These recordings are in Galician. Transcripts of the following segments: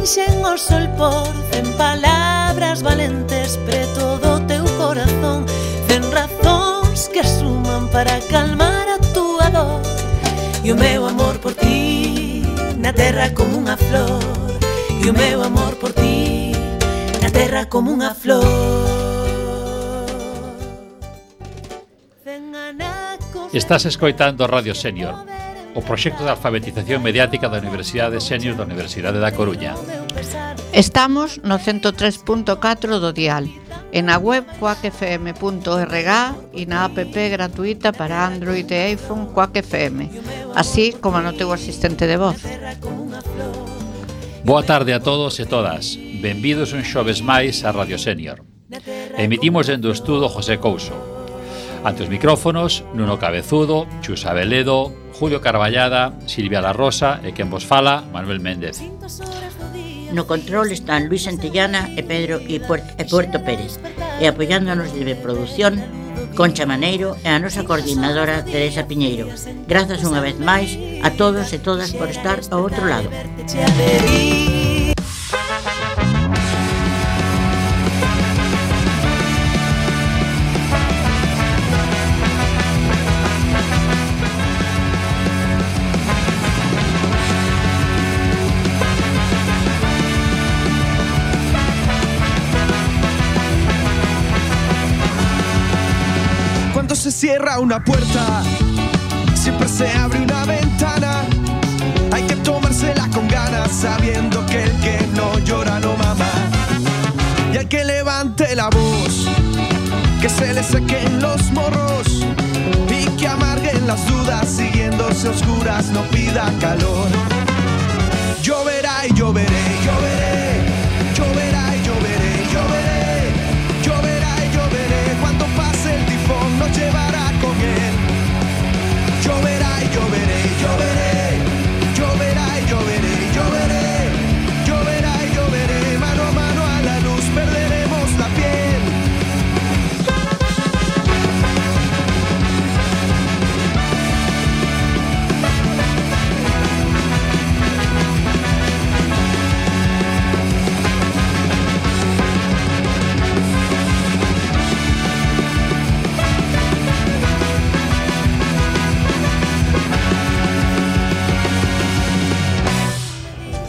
enchen o sol por 100 palabras valentes preto do teu corazón, 100 razóns que suman para calmar a túa dor. E o meu amor por ti na terra como unha flor, e o meu amor por ti na terra como unha flor. Estás escoitando Radio Senior, o proxecto de alfabetización mediática da Universidade Senior da Universidade da Coruña. Estamos no 103.4 do dial, e na web quackfm.org e na app gratuita para Android e iPhone Quack FM, así como no teu asistente de voz. Boa tarde a todos e todas. Benvidos un xoves máis a Radio Senior. Emitimos dende o estudo José Couso. Ante os micrófonos, Nuno Cabezudo, Chus Abeledo, Julio Carballada, Silvia La Rosa e quen vos fala, Manuel Méndez. No control están Luis Santillana e Pedro e Puerto Pérez, e apoiándonos de producción Concha Maneiro e a nosa coordinadora Teresa Piñeiro. Grazas unha vez máis a todos e todas por estar ao outro lado. Se cierra una puerta, siempre se abre una ventana. Hay que tomársela con ganas, sabiendo que el que no llora no mama. Y al que levante la voz, que se le sequen los morros y que amarguen las dudas, siguiéndose oscuras, no pida calor. Lloverá y lloveré, lloveré, lloverá y lloveré, lloveré, lloverá y lloveré. Cuando pase el tifón nos llevará con él. Lloverá y lloveré, lloveré, lloverá y lloveré, lloveré, lloverá y lloveré. Mano a mano a la luz perderemos la piel.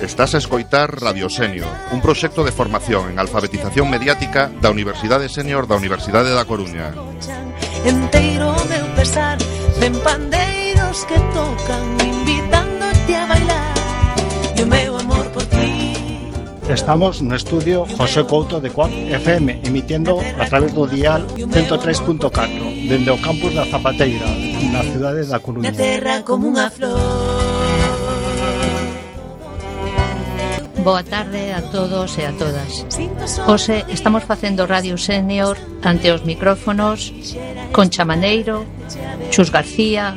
Estás a escoitar Radio Senior, un proxecto de formación en alfabetización mediática da Universidade Senior da Universidade da Coruña. Enteiro meu pesar, ven pandeiros que tocan, invitándote a bailar, e o meu amor por ti. Estamos no estudio José Couto de Quack FM, emitiendo a través do dial 103.4, dende o campus da Zapateira, na cidade da Coruña. Na terra como unha flor. Boa tarde a todos e a todas. Hoxe estamos facendo Radio Senior ante os micrófonos Concha Maneiro, Chus García,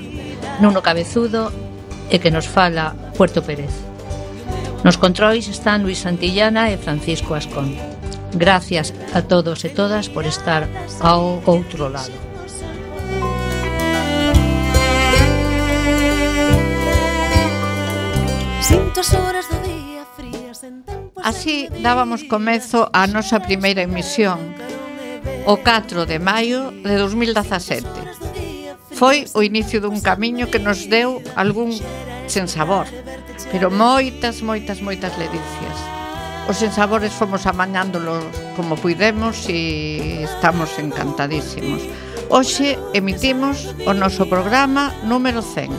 Nuno Cabezudo e que nos fala Puerto Pérez. Nos controis están Luis Santillana e Francisco Ascón. Gracias a todos e todas por estar ao outro lado. Sinto as horas do día. Así dábamos comezo á nosa primeira emisión o 4 de maio de 2017. Foi o inicio dun camiño que nos deu algún sensabor, pero moitas ledicias. Os sensabores fomos amañándolos como puidemos e estamos encantadísimos. Hoxe emitimos o noso programa número 100.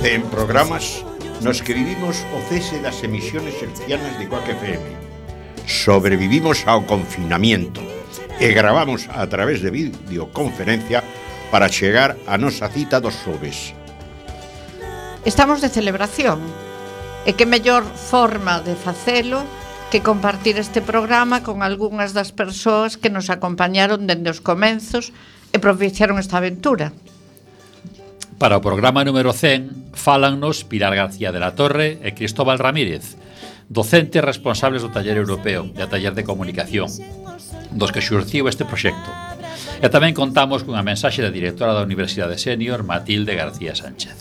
En programas nos que vivimos o cese das emisiones hercianas de Quack FM. Sobrevivimos ao confinamiento e gravamos a través de videoconferencia para chegar a nosa cita dos xoves. Estamos de celebración, e que mellor forma de facelo que compartir este programa con algunhas das persoas que nos acompañaron dende os comenzos e propiciaron esta aventura. Para o programa número 100 fálannos Pilar García de la Torre e Cristóbal Ramírez, docentes responsables do taller europeo e a taller de comunicación, dos que xurciu este proxecto. E tamén contamos cunha mensaxe da directora da Universidade Senior, Matilde García Sánchez.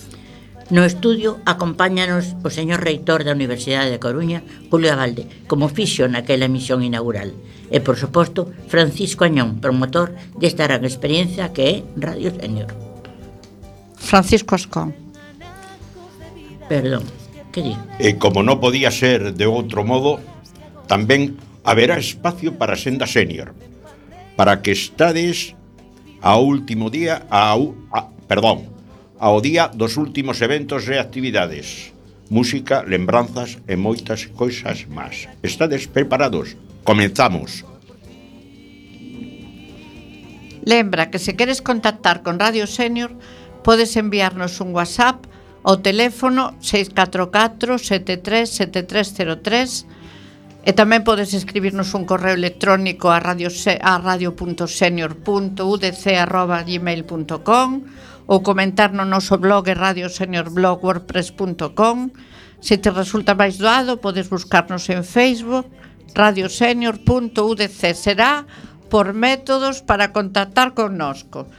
No estudio acompáñanos o señor reitor da Universidade de Coruña, Julio Abalde, como fixo naquela emisión inaugural. E, por suposto, Francisco Añón, promotor desta gran experiencia que é Radio Senior. Francisco Ascón. Perdón, que di? E como non podía ser de outro modo, tamén haberá espacio para Senda Senior, para que estades ao último día, ao día dos últimos eventos e actividades. Música, lembranzas e moitas cousas máis. Estades preparados? Comenzamos. Lembra que se queres contactar con Radio Senior, podes enviarnos un WhatsApp ao teléfono 644 73 7303 e tamén podes escribirnos un correo electrónico a radio.senior.udc@gmail.com ou comentar no noso blog radioseniorblog.wordpress.com. Se te resulta máis doado, podes buscarnos en Facebook, radiosenior.udc. Será por métodos para contactar connosco.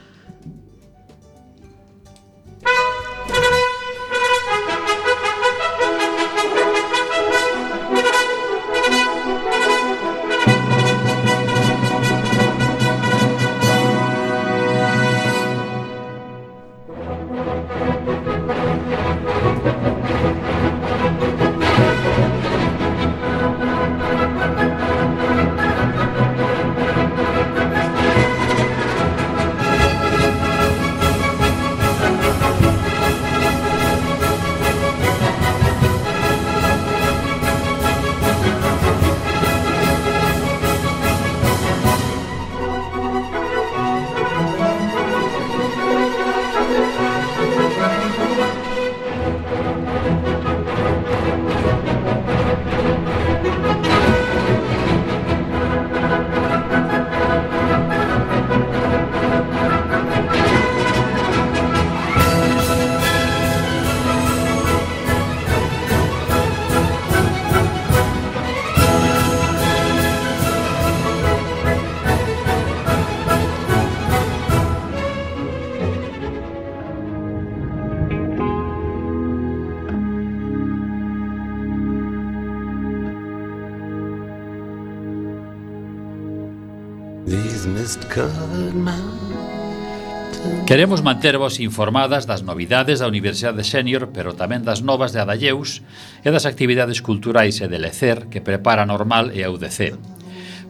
Queremos mantervos informadas das novidades da Universidade Senior, pero tamén das novas de Adalleus e das actividades culturais e de lecer que prepara Normal e a UDC.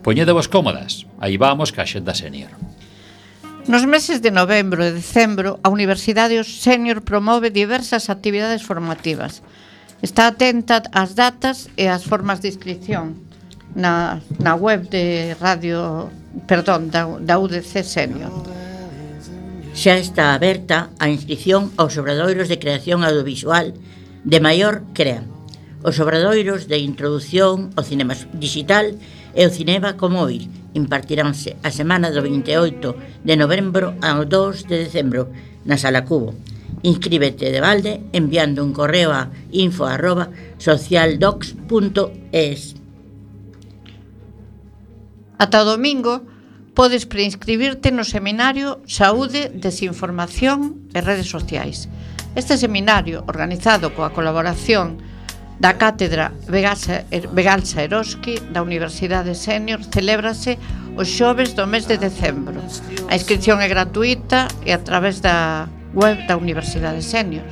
Poñedevos cómodas, aí vamos ca Xenda Senior. Nos meses de novembro e decembro, a Universidade Senior promove diversas actividades formativas. Está atenta ás datas e ás formas de inscripción na web de da UDC Senior. Xa está aberta a inscripción aos obradoiros de creación audiovisual de maior CREA, os obradoiros de introdución ao cinema digital e o cinema como oír. Impartiránse a semana do 28 de novembro ao 2 de decembro na Sala Cubo. Inscríbete de balde enviando un correo a info@socialdocs.es. Ata o domingo podes preinscribirte no seminario Saúde, Desinformación e Redes Sociais. Este seminario, organizado coa colaboración da Cátedra Vegalsa Eroski da Universidade Senior, celébrase os xoves do mes de decembro. A inscripción é gratuita e a través da web da Universidade Senior.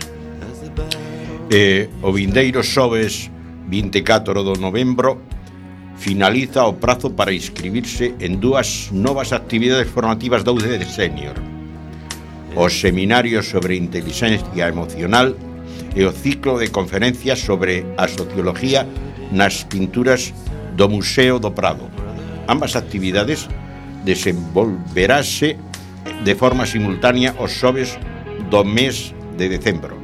O vindeiro xoves 24 de novembro finaliza o prazo para inscribirse en dúas novas actividades formativas da UDC Senior: o seminario sobre inteligencia emocional e o ciclo de conferencias sobre a sociología nas pinturas do Museo do Prado. Ambas actividades desenvolverase de forma simultánea os xoves do mes de decembro.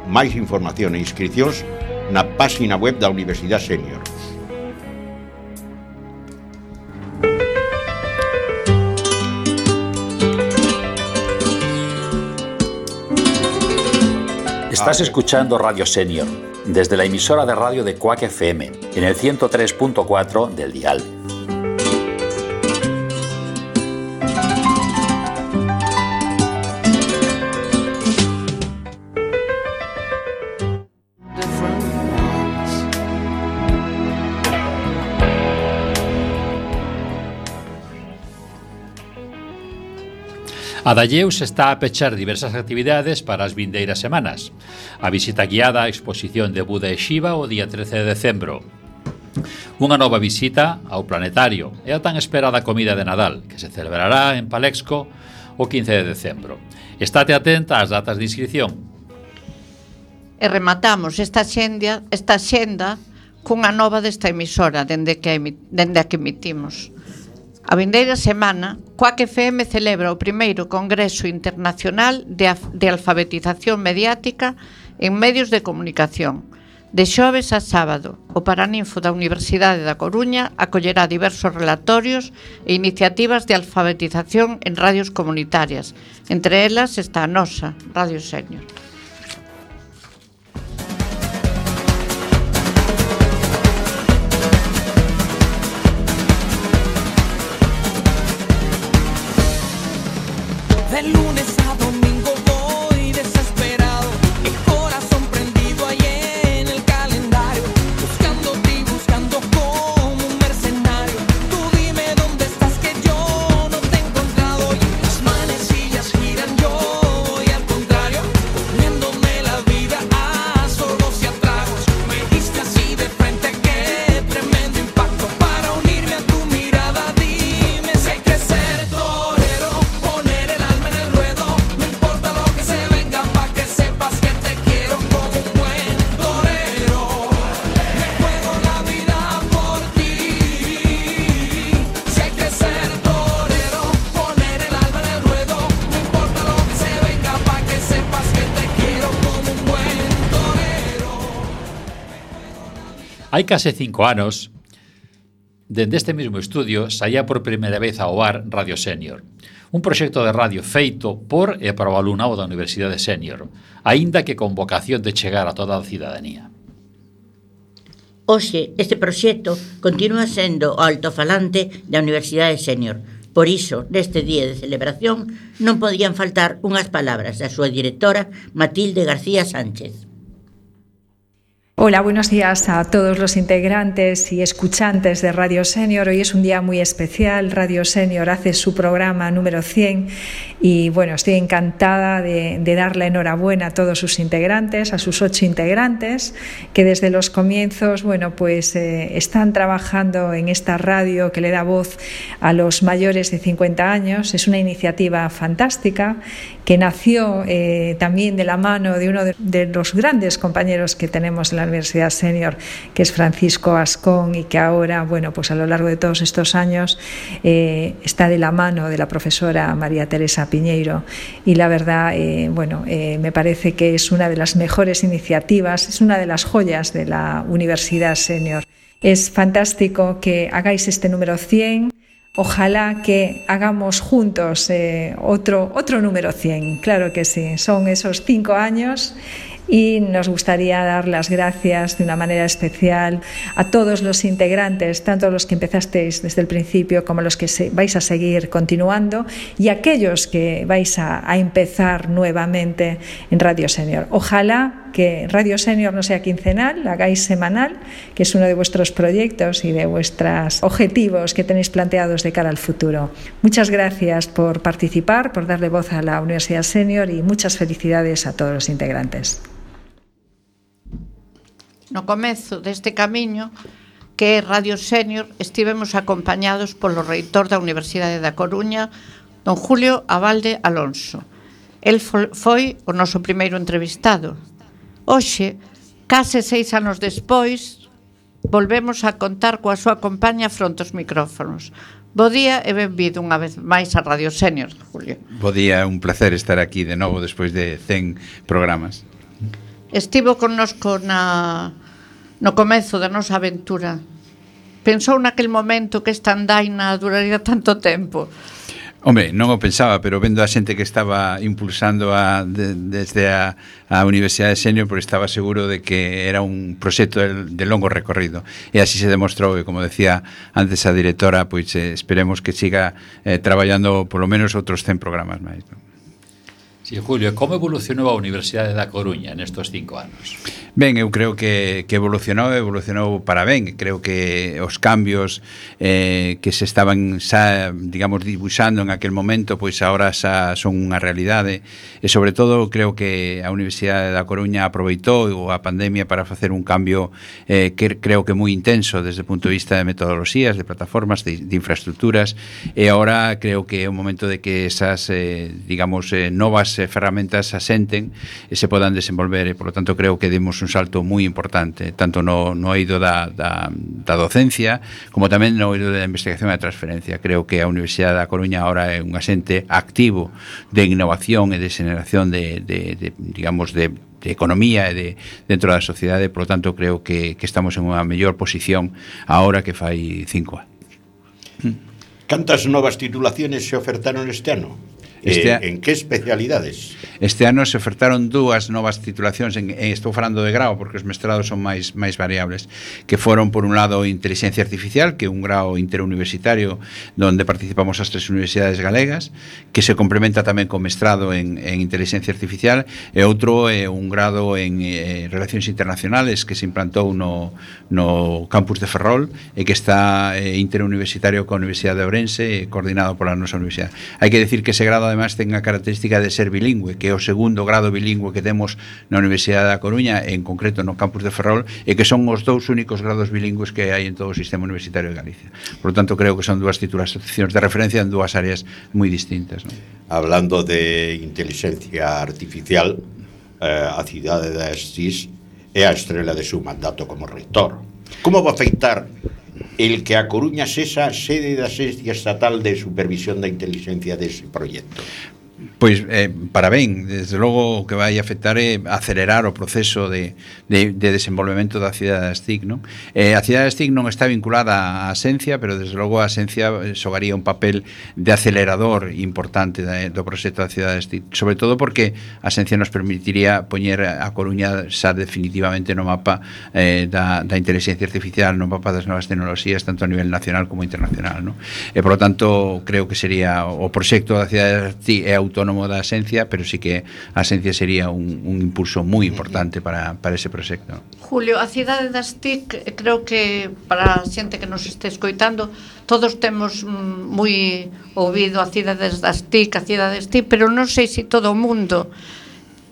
Máis información e inscripcións na página web da Universidade Senior. Estás escuchando Radio Senior, desde la emisora de radio de Quack FM, en el 103.4 del dial. A Dalleus está a pechar diversas actividades para as vindeiras semanas. A visita guiada á exposición de Buda e Shiva o día 13 de decembro. Unha nova visita ao planetario e a tan esperada comida de Nadal, que se celebrará en Palexco o 15 de decembro. Estate atenta ás datas de inscripción. E rematamos esta xenda cunha nova desta emisora dende a que emitimos. A vindeira semana, Quack FM celebra o primeiro Congreso Internacional de Alfabetización Mediática en Medios de Comunicación. De xoves a sábado, o Paraninfo da Universidade da Coruña acollerá diversos relatorios e iniciativas de alfabetización en radios comunitarias. Entre elas está a nosa, Radio Senior. De lunes a domingo voy desesperado, el corazón prendido ahí en el calendario, buscándote y buscando como un mercenario. Tú dime dónde estás que yo no te he encontrado. Y las manecillas giran, yo voy al contrario, poniéndome la vida a sorbos y a tragos. Me diste así de frente, qué tremendo impacto para unirme a tu mirada. Dime si hay que ser torero, poner el alma en el ruedo, no importa lo que se venga, pa' que sepas que te quiero como un buen torero. Me juego la vida por ti. Si hay que ser torero, poner el alma en el ruedo, no importa lo que se venga, pa' que sepas que te quiero como un buen torero. Hai case 5 anos, dende este mesmo estudio, saía por primeira vez ao ar Radio Senior, un proxecto de radio feito por e para o alumnado da Universidade Senior, aínda que con vocación de chegar a toda a cidadanía. Hoxe, este proxecto continúa sendo o altofalante da Universidade Senior. Por iso, neste día de celebración, non podían faltar unhas palabras da súa directora, Matilde García Sánchez. Hola, buenos días a todos los integrantes y escuchantes de Radio Senior. Hoy es un día muy especial. Radio Senior hace su programa número 100 y bueno, estoy encantada de darle enhorabuena a todos sus integrantes, a sus 8 integrantes que desde los comienzos, bueno, pues están trabajando en esta radio que le da voz a los mayores de 50 años. Es una iniciativa fantástica que nació también de la mano de uno de los grandes compañeros que tenemos en la Universidad Senior, que es Francisco Ascón, y que ahora, bueno, pues a lo largo de todos estos años está de la mano de la profesora María Teresa Piñeiro, y la verdad, me parece que es una de las mejores iniciativas, es una de las joyas de la Universidad Senior. Es fantástico que hagáis este número 100. Ojalá que hagamos juntos otro número 100, claro que sí, son esos 5 años y nos gustaría dar las gracias de una manera especial a todos los integrantes, tanto los que empezasteis desde el principio como los que vais a seguir continuando y aquellos que vais a empezar nuevamente en Radio Senior. Ojalá que Radio Senior no sea quincenal, la hagáis semanal, que es uno de vuestros proyectos y de vuestros objetivos que tenéis planteados de cara al futuro. Muchas gracias por participar, por darle voz a la Universidad Senior y muchas felicidades a todos los integrantes. No comezo deste camiño que é Radio Senior estivemos acompañados polo reitor da Universidade da Coruña, don Julio Abalde Alonso. El foi o noso primeiro entrevistado. Hoxe, case 6 anos despois, volvemos a contar coa súa compañía fronte aos micrófonos. Bo día e benvido unha vez máis a Radio Senior, Julio. Bo día, un placer estar aquí de novo despois de 100 programas. Estivo connosco no comezo da nosa aventura. Pensou naquel momento que esta andaina duraría tanto tempo? Hombre, non o pensaba, pero vendo a xente que estaba impulsando desde a Universidade Senior, porque estaba seguro de que era un proxecto de longo recorrido. E así se demostrou, e como decía antes a directora, pois esperemos que siga traballando polo menos outros 100 programas máis, non? Sí, Julio, como evolucionou a Universidade da Coruña nestos 5 anos? Ben, eu creo que evolucionou para ben. Creo que os cambios que se estaban xa, digamos, dibuixando en aquel momento, pois agora xa son unha realidade, e sobre todo creo que a Universidade da Coruña aproveitou a pandemia para facer un cambio que creo que moi intenso desde o punto de vista de metodoloxías, de plataformas, de infraestructuras, e agora creo que é o momento de que esas, digamos, novas ferramentas asenten e se podan desenvolver, e por lo tanto creo que demos un salto moi importante, tanto no eido da docencia como tamén no eido da investigación e da transferencia. Creo que a Universidade da Coruña ahora é un asente activo de innovación e de xeneración de digamos, de economía e dentro da sociedade, por lo tanto creo que estamos en unha mellor posición ahora que fai 5 anos. Cantas novas titulaciones se ofertaron este ano? En que especialidades? Este ano se ofertaron 2 novas titulacións, estou falando de grao porque os mestrados son máis variables, que foron, por un lado, Inteligencia Artificial, que é un grao interuniversitario donde participamos as 3 universidades galegas, que se complementa tamén con mestrado en Inteligencia Artificial, e outro é un grado en Relacións Internacionales que se implantou no campus de Ferrol e que está interuniversitario coa Universidade de Ourense, coordinado pola nosa universidade. Hai que decir que ese grado además ten a característica de ser bilingüe, que é o segundo grado bilingüe que temos na Universidade da Coruña, en concreto no campus de Ferrol, e que son os 2 únicos grados bilingües que hai en todo o sistema universitario de Galicia. Por lo tanto, creo que son 2 titulacións de referencia en 2 áreas moi distintas, ¿no? Hablando de inteligencia artificial, a cidade de Asís é a estrela de seu mandato como rector. Como va a afectar el que a Coruña sexa sede da Axencia Estatal de Supervisión da Inteligencia dese proxecto? Pois para ben, desde logo o que vai afectar é acelerar o proceso de desenvolvemento da cidade das TIC, non? A cidade das TIC non está vinculada á Axencia, pero desde logo a Axencia xogaría un papel de acelerador importante do proxecto da cidade das TIC, sobre todo porque a Axencia nos permitiría poñer a Coruña xa definitivamente no mapa da inteligencia artificial, no mapa das novas tecnoloxías, tanto a nivel nacional como internacional, non? E, por lo tanto, creo que sería o proxecto da cidade das TIC é autónomo da Axencia, pero sí que a Axencia sería un impulso moi importante para ese proxecto. Julio, a cidade das TIC, creo que para a xente que nos este escoitando, todos temos moi ouvido a cidades das TIC, pero non sei se todo o mundo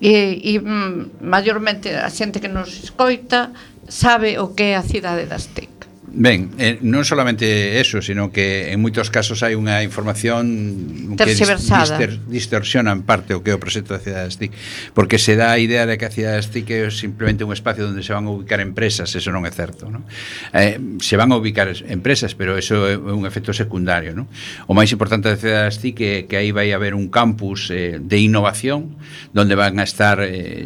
e maiormente a xente que nos escoita sabe o que é a cidade das TIC. Ben, non solamente eso, sino que en moitos casos hai unha información que distorsiona en parte o que é o proxecto da cidade das TIC, porque se dá a idea de que a cidade das TIC é simplemente un espacio onde se van a ubicar empresas. Eso non é certo, non? Se van a ubicar empresas, pero eso é un efecto secundario, non? O máis importante da cidade das TIC é que aí vai haber un campus de innovación donde van a estar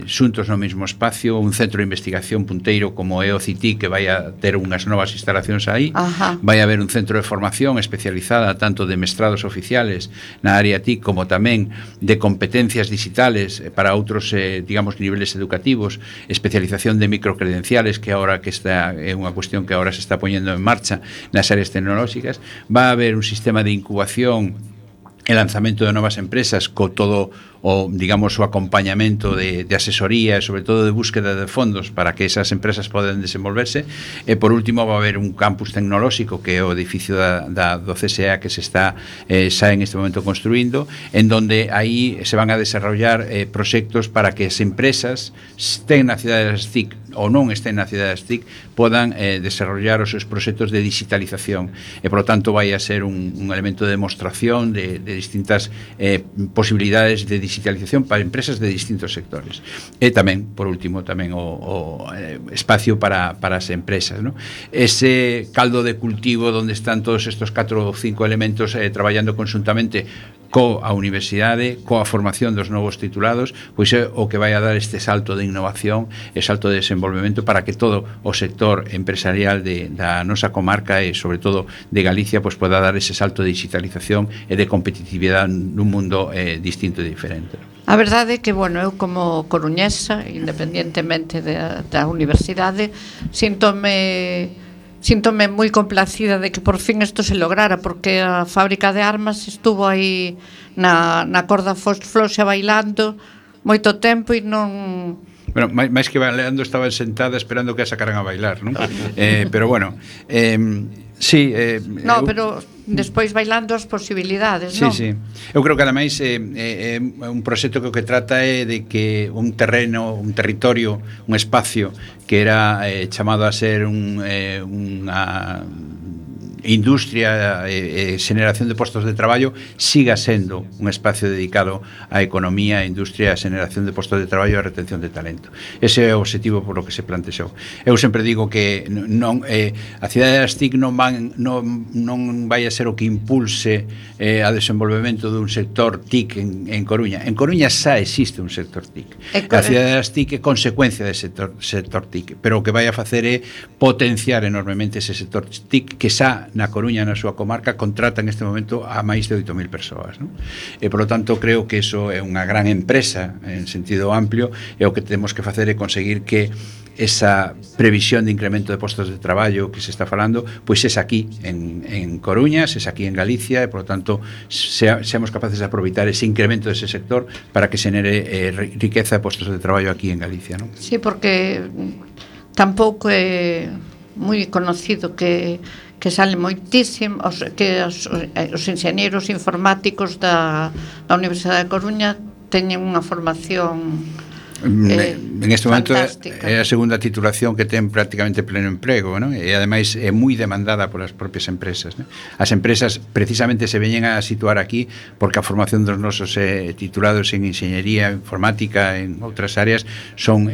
xuntos no mesmo espacio, un centro de investigación punteiro como é o CITI, que vai a ter unhas novas instalacións aí. Ajá. Vai haber un centro de formación especializada tanto de mestrados oficiales na área TIC como tamén de competencias digitales para outros, digamos, niveles educativos, especialización de microcredenciales, que agora que esta é unha cuestión que agora se está poñendo en marcha nas áreas tecnolóxicas. Va a haber un sistema de incubación e lanzamento de novas empresas co todo o, digamos, o acompañamento de asesoría e sobre todo de búsqueda de fondos para que esas empresas poden desenvolverse. E por último va a haber un campus tecnolóxico que é o edificio do CSA que se está xa en este momento construindo, en donde aí se van a desarrollar proxectos para que as empresas estén na cidade das TIC ou non estén na cidade das TIC podan desarrollar os seus proxectos de digitalización, e por lo tanto vai a ser un elemento de demostración de distintas posibilidades de digitalización para empresas de distintos sectores. E tamén, por último, tamén o espacio para as empresas, ¿no? Ese caldo de cultivo onde están todos estos 4 ou 5 elementos traballando conjuntamente coa universidade, coa formación dos novos titulados, pois é o que vai a dar este salto de innovación e salto de desenvolvemento para que todo o sector empresarial da nosa comarca e sobre todo de Galicia pois poda dar ese salto de digitalización e de competitividade nun mundo distinto e diferente. A verdade é que, bueno, eu como coruñesa, independientemente da universidade, síntome síntome moi complacida de que por fin isto se lograra, porque a fábrica de armas estuvo aí na corda floxa bailando moito tempo e non... Bueno, máis que bailando, estaban sentadas esperando que a sacaran a bailar, non? Pero bueno, sí, no, pero despois bailando as posibilidades, non? Sí. Eu creo que ademais é un proxecto que o que trata é de que un terreno, un territorio, un espacio que era chamado a ser unha industria e xeneración de postos de traballo siga sendo un espacio dedicado á economía, á industria, á xeneración de postos de traballo e á retención de talento. Ese é o objetivo por o que se plantexou. Eu sempre digo que non a cidade das TIC non vai a ser o que impulse a desenvolvemento dun sector TIC en Coruña. En Coruña xa existe un sector TIC. A cidade das TIC é consecuencia dese sector TIC, pero o que vai a facer é potenciar enormemente ese sector TIC que xa na Coruña, na súa comarca, contrata en este momento a máis de 8.000 persoas, non? E, por lo tanto, creo que iso é unha gran empresa en sentido amplio, e o que temos que facer é conseguir que esa previsión de incremento de postos de traballo que se está falando, pois es aquí en Coruña, es aquí en Galicia, e, por lo tanto, seamos capaces de aproveitar ese incremento dese sector para que se genere riqueza e postos de traballo aquí en Galicia, non? Sí, porque tampouco é moi conocido que salen moitísimos, que os enxeñeiros informáticos da Universidade de Coruña teñen unha formación en este momento fantástica. É a segunda titulación que ten prácticamente pleno emprego, non? E ademais é moi demandada polas propias empresas, non? As empresas precisamente se veñen a situar aquí porque a formación dos nosos titulados en enxeñería informática, en outras áreas, son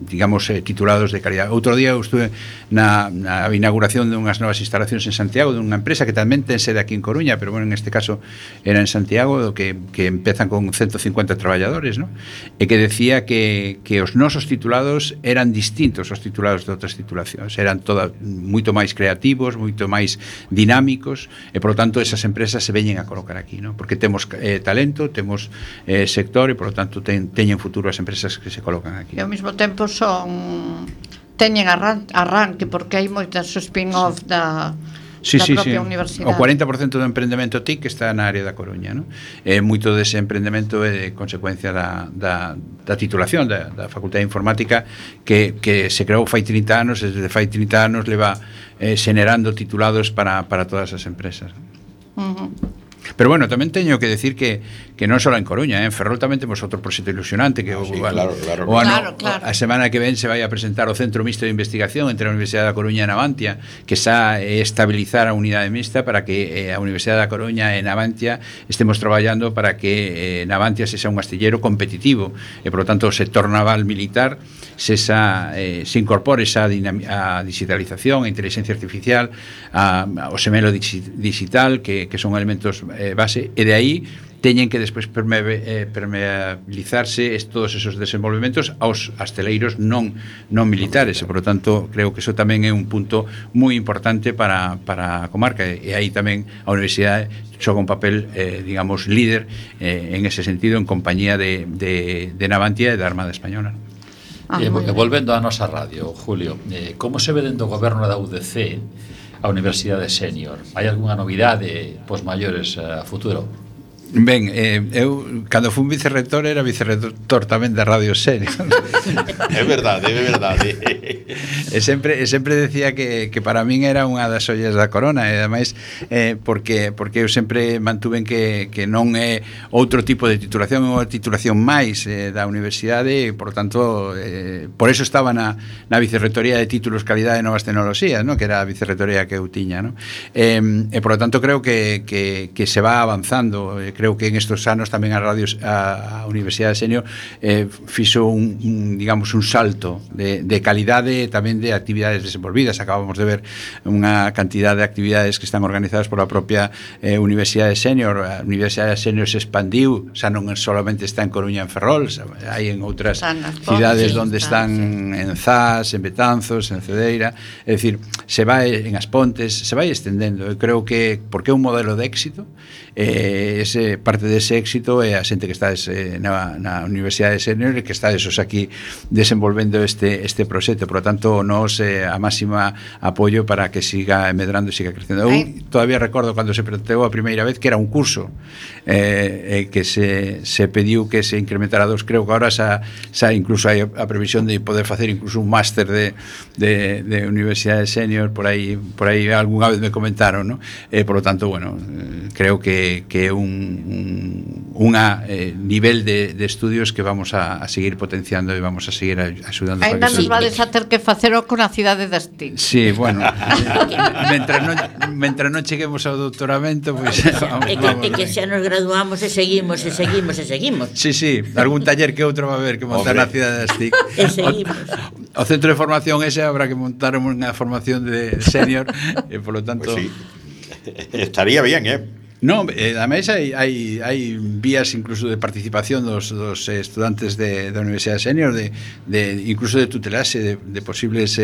digamos titulados de calidad. Outro día eu estuve na inauguración de unhas novas instalacións en Santiago, de unha empresa que tamén ten sede aquí en Coruña, pero bueno, en este caso era en Santiago, que empezan con 150 traballadores, non? E que decía que os nosos titulados eran distintos aos titulados de outras titulacións, eran todas moito máis creativos, moito máis dinámicos, e por lo tanto esas empresas se veñen a colocar aquí, ¿no? Porque temos talento, temos sector, e por lo tanto teñen futuro as empresas que se colocan aquí. E ao mesmo tempo teñen arranque, porque hai moitas spin-off da propia universidade. O 40% do emprendemento TIC está na área da Coruña, non? E moito dese emprendemento é de consecuencia da titulación da Facultade de Informática que se creou fai 30 anos, e desde fai 30 anos leva xenerando titulados para todas as empresas. Pero bueno, tamén teño que decir que non só en Coruña, en Ferrol tamén temos outro proxecto ilusionante que claro. A semana que ven se vai a presentar o Centro Mixto de Investigación entre a Universidade da Coruña e Navantia, que xa é estabilizar a unidade mixta para que a Universidade da Coruña e Navantia estemos traballando para que Navantia sexa un astillero competitivo e, por lo tanto, o sector naval militar se incorpore xa a digitalización, a inteligencia artificial, o semelo digital, que son elementos base, e de aí teñen que despois permeabilizarse todos esos desenvolvementos aos asteleiros non militares, e, por lo tanto, creo que eso tamén é un punto moi importante para a comarca, e aí tamén a Universidade xoga un papel, digamos, líder en ese sentido, en compañía de Navantia e da Armada Española. Volvendo á nosa radio, Julio, como se ve dentro do goberno da UDC a Universidade Senior? Hai algunha novidade pos maiores a futuro? Ben, eu cando fui vicerrector era vicerrector tamén da Radio Senior. É verdade. E sempre decía que para min era unha das ollas da corona, e ademais porque eu sempre mantuven que non é outro tipo de titulación, é unha titulación máis da universidade, e por tanto por eso estaba na vicerrectoría de títulos, calidade e novas tecnoloxías, ¿no? Que era a vicerrectoría que eu tiña, ¿no? E por lo tanto creo que se va avanzando. Creo que en estos anos tamén a Universidade Senior fixo un salto de calidade, tamén de actividades desenvolvidas. Acabamos de ver unha cantidad de actividades que están organizadas por a propia Universidade Senior. A Universidade Senior se expandiu, xa non solamente está en Coruña, en Ferrol, hai en outras cidades onde están en Zas, en Betanzos, en Cedeira, é dicir, se vai en As Pontes, se vai estendendo. Eu creo que porque é un modelo de éxito, ese parte dese éxito é a xente que estades na Universidade Senior e que estades aquí desenvolvendo este proxecto. Por lo tanto, nos a máxima apoio para que siga medrando e siga crecendo. Eu todavía recordo cando se planteou a primeira vez que era un curso que se pediu que se incrementara 2, creo que agora xa incluso hai a previsión de poder facer incluso un máster de Universidade Senior, por aí algunha vez me comentaron, ¿no? Por lo tanto, bueno, creo que é un nivel de estudios que vamos a seguir potenciando e vamos a seguir axudando. Ainda nos vades a ter que facelo con a cidade das TIC. Sí, bueno, mentre non cheguemos ao doutoramento, pois é que xa nos graduamos e seguimos. Sí, algún taller que outro va a haber que montar na cidade das TIC. E seguimos. O centro de formación ese habrá que montar unha formación de senior e polo tanto pues sí. Estaría bien, No, ademais hai vías incluso de participación dos estudantes da Universidade Senior incluso de tutelaxe de posibles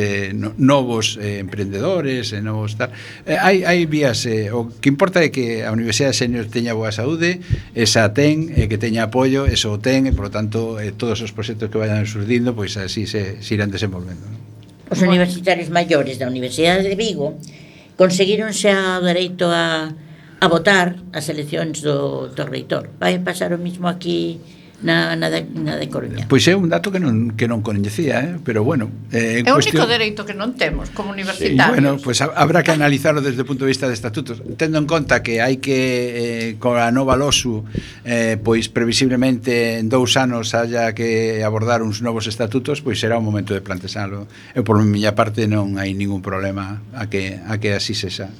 novos emprendedores, novos tal. Hai vías, o que importa é que a Universidade Senior teña boa saúde, esa ten, que teña apoio, eso o ten, e por lo tanto todos os proxectos que vayan surdindo, pois así se irán desenvolvendo. Os universitarios maiores da Universidade de Vigo conseguiron xa o dereito a votar as eleccións do reitor. Vai pasar o mismo aquí na de Coruña. Pois é un dato que non coñecía, pero bueno, é o único dereito que non temos como universitarios. Bueno, pois habrá que analizarlo desde o punto de vista de estatutos, tendo en conta que hai que con a nova LOSU pois previsiblemente en 2 anos haya que abordar uns novos estatutos, pois será o momento de plantexalo. Eu por miña parte non hai ningún problema a que así sexa.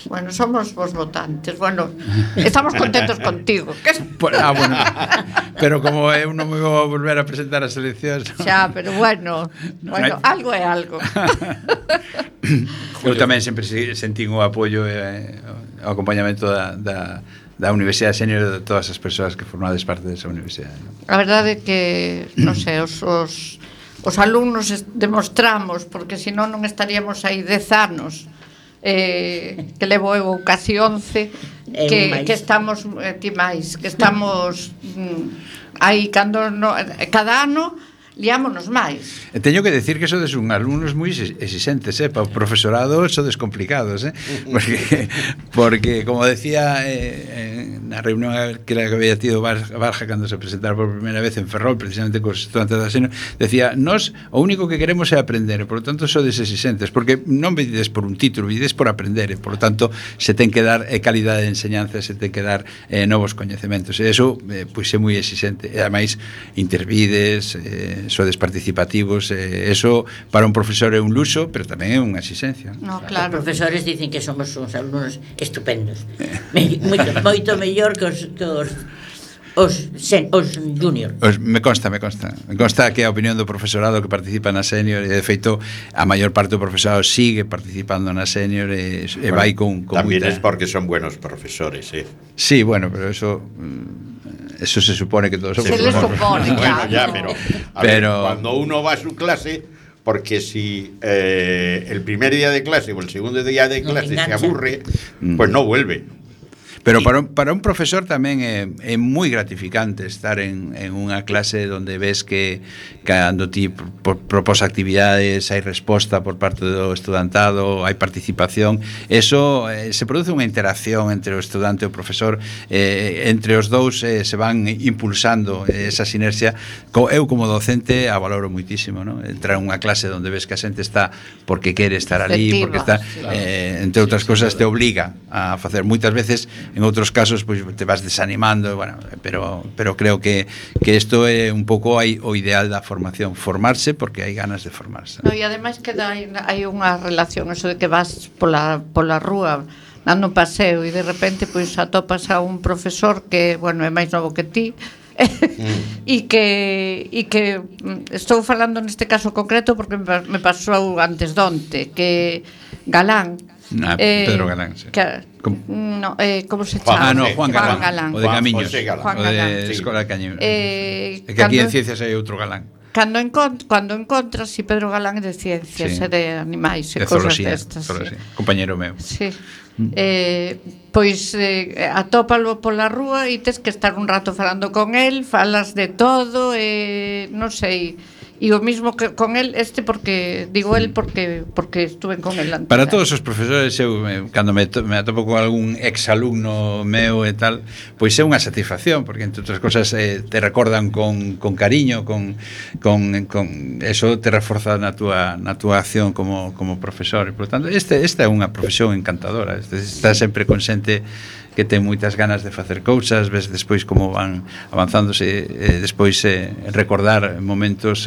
Bueno, somos vos votantes. Bueno, estamos contentos contigo. Bueno, pero como eu non me vou volver a presentar as eleccións. Xa, pero bueno, algo é algo. Eu tamén sempre sentín o apoio e o acompañamento da Universidade Senior de todas as persoas que formades parte desa universidade. A verdade é que, non sei, os alumnos demostramos, porque senón non estaríamos aí 10 anos que levo eu casi 11 que estamos ti máis que estamos aí cando cada ano liámonos máis. Teño que decir que sodes un alumnos moi exigentes, para o profesorado sodes complicados, porque como decía na reunión que había tido Barja cando se presentara por primeira vez en Ferrol, precisamente cos estudantes da Seno, decía, nós o único que queremos é aprender, por lo tanto sodes exigentes, porque non vides por un título, vides por aprender, por lo tanto se ten que dar calidade de enseñanza, se ten que dar novos coñecementos, e eso pois é moi exigente, e ademais intervides, sodes participativos, eso para un profesor é un luxo, pero tamén é unha exigencia. No, claro. Os profesores dicen que somos uns alumnos estupendos, moito mellor que os junior. Me consta que a opinión do profesorado que participa na senior, e de feito a maior parte do profesorado sigue participando na senior e vai con tamén muita... es porque son buenos profesores, Sí, bueno, pero eso se supone que todos somos se les supone, bueno, claro. ya, pero cuando uno va a su clase, porque si el primer día de clase o el segundo día de clase se aburre, pues no vuelve. Pero para un profesor tamén é moi gratificante estar en unha clase onde ves que cando ti propós actividades hai resposta por parte do estudantado, hai participación, eso se produce unha interacción entre o estudante e o profesor, entre os dous se van impulsando esa sinerxia. Eu como docente a valoro moitísimo, ¿no? Entrar en unha clase onde ves que a xente está porque quere estar ali, porque está, entre outras cosas te obliga a facer. Moitas veces en outros casos pois te vas desanimando, bueno, pero creo que isto é un pouco o ideal da formación, formarse porque hai ganas de formarse. No, e ademais que hai unha relación, eso de que vas pola rúa dando un paseo e de repente pois atopas a un profesor que, bueno, é máis novo que ti e que estou falando neste caso concreto porque me pasou antes donte que Galán Pedro Galán, sí. ¿Cómo se chama? Juan Galán. O de Camiños, Juan o de Escola de Camiños. Que aquí en Ciencias hai outro Galán. Cando encontras si Pedro Galán é de ciencias, Sí. e de animais e De cosas zoología, destas. zoología. Compañero meu. Sí. Pois atópalo pola rúa e tes que estar un rato falando con el, falas de todo, non sei. E o mismo que con el, porque digo el porque estuve con el antes. Para todos os profesores, eu cando me atopo con algún exalumno meu e tal, pois é unha satisfacción, porque entre outras cosas te recordan con cariño, con eso te reforza na túa acción como profesor, e por tanto esta é unha profesión encantadora. Está sempre con xente que ten moitas ganas de facer cousas, ves despois como van avanzándose, despois recordar momentos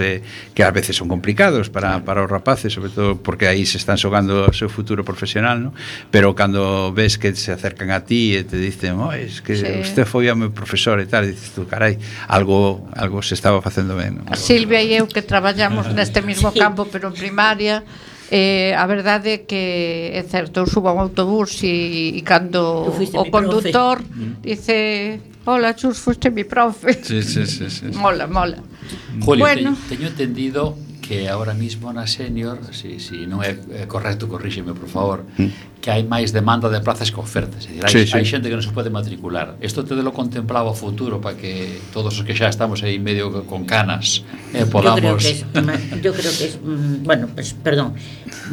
que ás veces son complicados para os rapaces, sobre todo porque aí se están xogando o seu futuro profesional, ¿no? Pero cando ves que se acercan a ti e te dicen, es que usted foi o meu profesor e tal, e dices tú, carai, algo se estaba facendo ben, ¿no? A Silvia e eu que traballamos neste mismo campo, pero en primaria, a verdade é que é certo, eu subo a un autobús e cando o conductor dice, hola Chus, fuiste mi profe. Sí. Mola. Julio, Bueno. teño entendido que ahora mismo na Senior, si non é correcto, corríxeme, por favor, que hai máis demanda de plazas que ofertas. É dicir, hai xente que non se pode matricular. Isto te lo contemplaba o futuro para que todos os que xa estamos aí medio con canas podamos... Yo creo que es bueno, pues, perdón,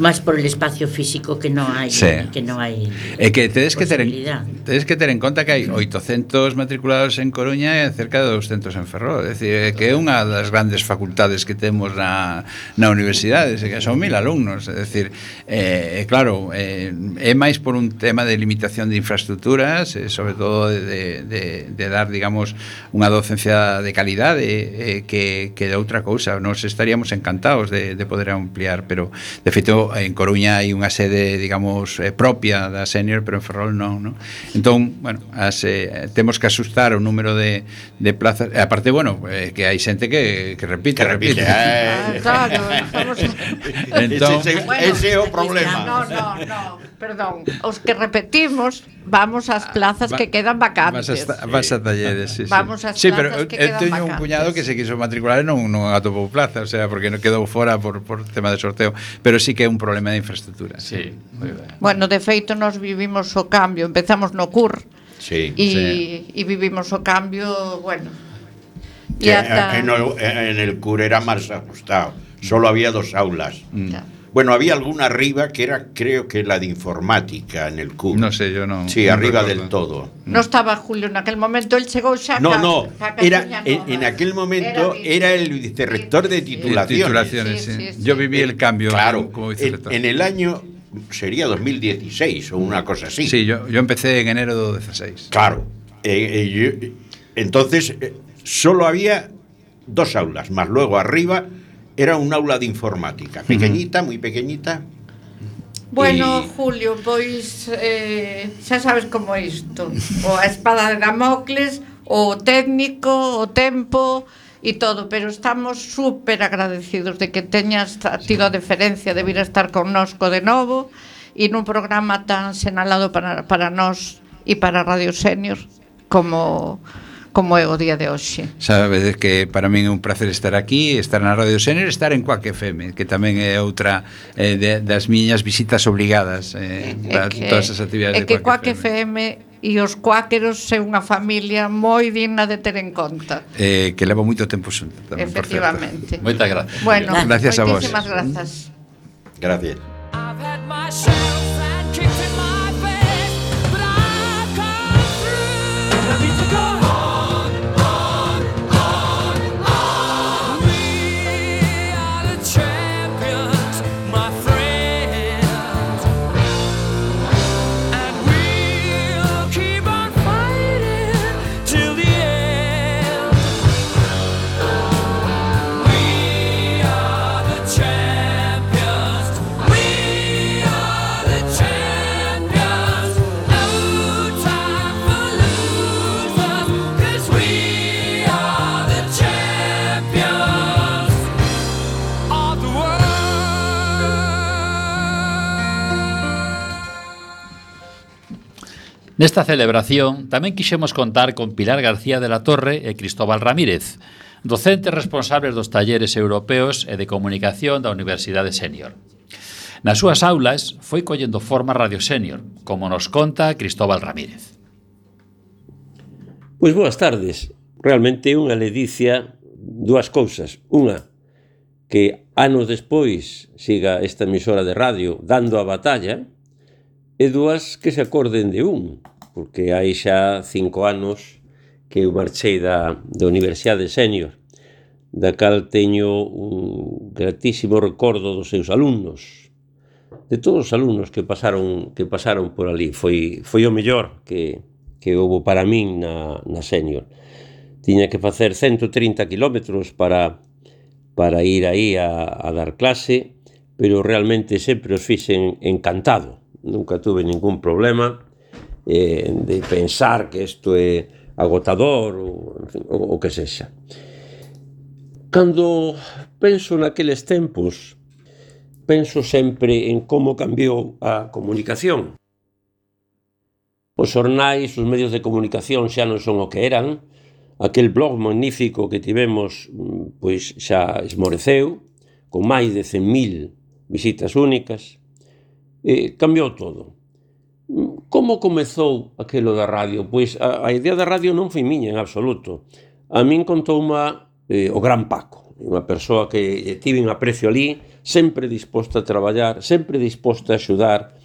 más por el espacio físico que no hai, que no hai. É que tedes que ter en conta que hai 800 matriculados en Coruña e cerca de 200 en Ferrol. É dicir, que é unha das grandes facultades que temos na universidade, que son 1000 alumnos. É dicir, claro, é máis por un tema de limitación de infraestructuras, sobre todo de dar, digamos, unha docencia de calidade, que de outra cousa. Nos estaríamos encantados de poder ampliar, pero de feito en Coruña hai unha sede, digamos, propia da Senior, pero en Ferrol non. Entón, bueno, temos que asustar o número de plazas, e aparte, bueno, que hai xente que repite. Claro, entón, ese é o problema. No, perdón, os que repetimos vamos ás plazas que quedan vacantes. Vas a talleres, sí. Vamos ás sí, pero plazas que quedan teño vacantes. un cuñado que se quiso matricular e non atopou plaza, o sea, porque non quedou fora por tema de sorteo, pero sí que é un problema de infraestructura. Sí, moi ben. Bueno, de feito nos vivimos o cambio, empezamos no CUR. Sí. E vivimos o cambio, bueno. Que en el CUR era más ajustado, solo había 2 aulas. Bueno, había alguna arriba que era, creo que la de informática en el CUR. No sé, yo no. Sí, no arriba recuerdo. del todo. No estaba Julio en aquel momento, él chegou xa en aquel momento era el vicerrector de titulaciones. Sí. Yo viví el cambio, claro, como vicerrector. En el año sería 2016 o una cosa así. Sí, yo empecé en enero de 16. Claro. Entonces solo había 2 aulas, más luego arriba era un aula de informática, pequeñita, muy pequeñita. Bueno, Julio, pois xa sabes como é isto. O a espada de Damocles, o técnico, o tempo e todo, pero estamos súper agradecidos de que teñas tido a deferencia de vir a estar connosco de novo e nun programa tan senalado para nós e para Radio Senior como é o día de hoxe. Sabedes que para min é un placer estar aquí, estar na Radio Senior, estar en Cuac FM, que tamén é outra das miñas visitas obrigadas para todas as actividades de Cuac FM. E os cuáqueros é unha familia moi digna de ter en conta. Que leva moito tempo xunto tamén, efectivamente. Moitas gracias. Bueno, gracias a vos. Moitísimas grazas. Gracias. Nesta celebración tamén quixemos contar con Pilar García de la Torre e Cristóbal Ramírez, docentes responsables dos talleres europeos e de comunicación da Universidade Sénior. Nas súas aulas foi collendo forma Radio Sénior, como nos conta Cristóbal Ramírez. Pois boas tardes. Realmente é unha ledicia dúas cousas. Unha, que anos despois siga esta emisora de radio dando a batalla, e dúas, que se acorden de porque hai xa 5 anos que eu marchei da Universidade Sénior, da cal teño un gratísimo recordo dos seus alumnos, de todos os alumnos que pasaron por ali. Foi o mellor que houve para min na Sénior. Tiña que facer 130 kilómetros para ir aí a dar clase, pero realmente sempre os fixen encantado. Nunca tuve ningún problema de pensar que isto é agotador ou que sexa. Cando penso naqueles tempos, penso sempre en como cambiou a comunicación. Os xornais, os medios de comunicación xa non son o que eran. Aquel blog magnífico que tivemos pois xa esmoreceu, con máis de 100.000 visitas únicas. Cambiou todo. Como comezou aquilo da radio? Pois a idea da radio non foi miña en absoluto. A min contouma o gran Paco, unha persoa que tive un aprecio ali, sempre disposta a traballar, sempre disposta a axudar.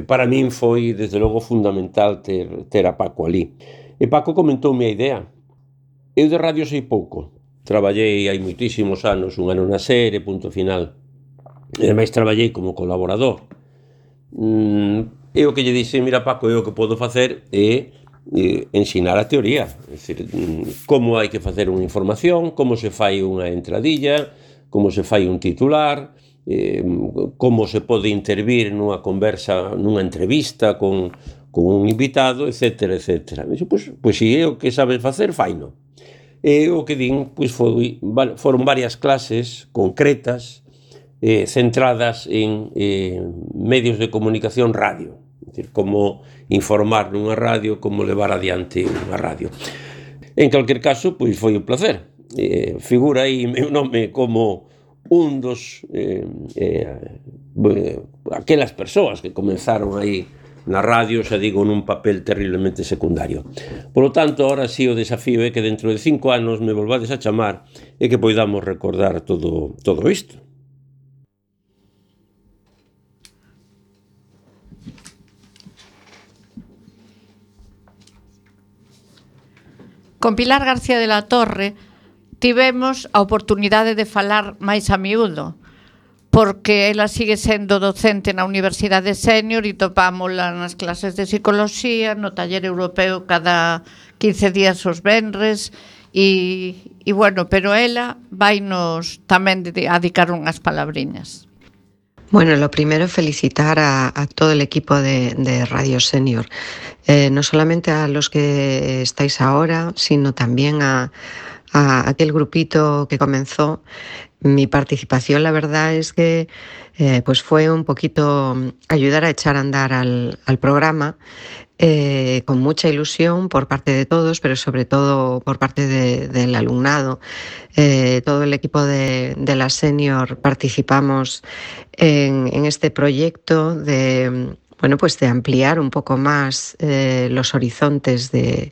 Para min foi, desde logo, fundamental ter a Paco ali. E Paco comentoume a idea. Eu de radio sei pouco. Traballei hai moitísimos anos, un ano na SER, punto final. E ademais traballei como colaborador. E o que lle dixen, mira Paco, eu o que podo facer é ensinar a teoría, é dicir, como hai que facer unha información, como se fai unha entradilla, como se fai un titular, como se pode intervir nunha conversa, nunha entrevista con un invitado, etcétera, etcétera. Pois se é o que sabes facer, faino. E o que din, pois foron varias clases concretas, centradas en medios de comunicación radio, é dicir, como informar nunha radio, como levar adiante unha radio. En calquer caso, pois foi un placer. Figura aí meu nome como un dos aquelas persoas que comenzaron aí na radio, xa digo, nun papel terriblemente secundario. Por lo tanto, ahora sí o desafío é que dentro de 5 anos me volvades a chamar e que poidamos recordar todo isto. Con Pilar García de la Torre tivemos a oportunidade de falar máis a miúdo, porque ela sigue sendo docente na Universidade Sénior e topámola nas clases de psicología, no taller europeo cada 15 días os venres, e bueno, pero ela vainos tamén dedicar unhas palabriñas. Bueno, lo primero felicitar a todo el equipo de Radio Sénior, no solamente a los que estáis ahora, sino también a aquel grupito que comenzó. Mi participación, la verdad es que pues fue un poquito ayudar a echar a andar al programa, con mucha ilusión por parte de todos, pero sobre todo por parte del alumnado. Todo el equipo de la Sénior participamos en este proyecto de ampliar un poco más los horizontes de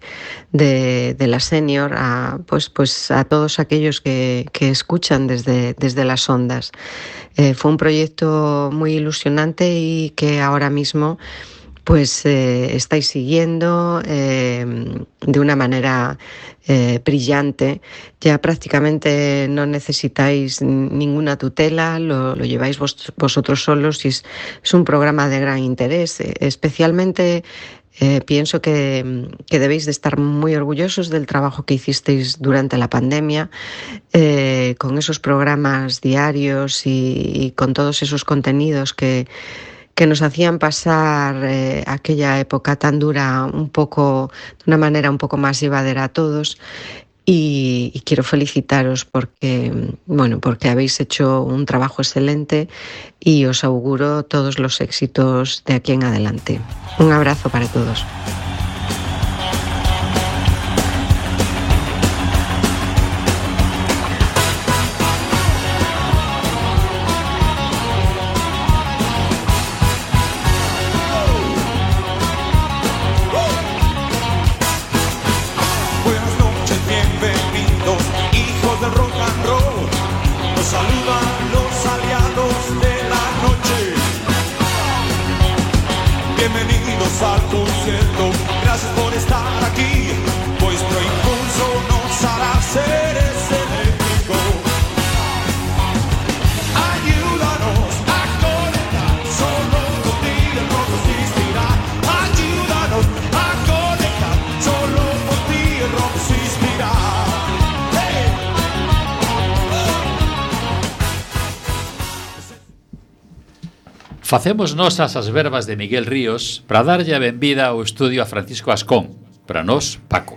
la Sénior a todos aquellos que escuchan desde las ondas. Fue un proyecto muy ilusionante y que ahora mismo estáis siguiendo de una manera brillante. Ya prácticamente no necesitáis ninguna tutela, lo lleváis vosotros solos y es un programa de gran interés. Especialmente pienso que debéis de estar muy orgullosos del trabajo que hicisteis durante la pandemia, con esos programas diarios y con todos esos contenidos que nos hacían pasar aquella época tan dura de una manera un poco más llevadera a todos. y quiero felicitaros porque, bueno, porque habéis hecho un trabajo excelente y os auguro todos los éxitos de aquí en adelante. Un abrazo para todos. Facemos nosas as verbas de Miguel Ríos para darlle a benvida ao estudio a Francisco Ascón, para nós, Paco.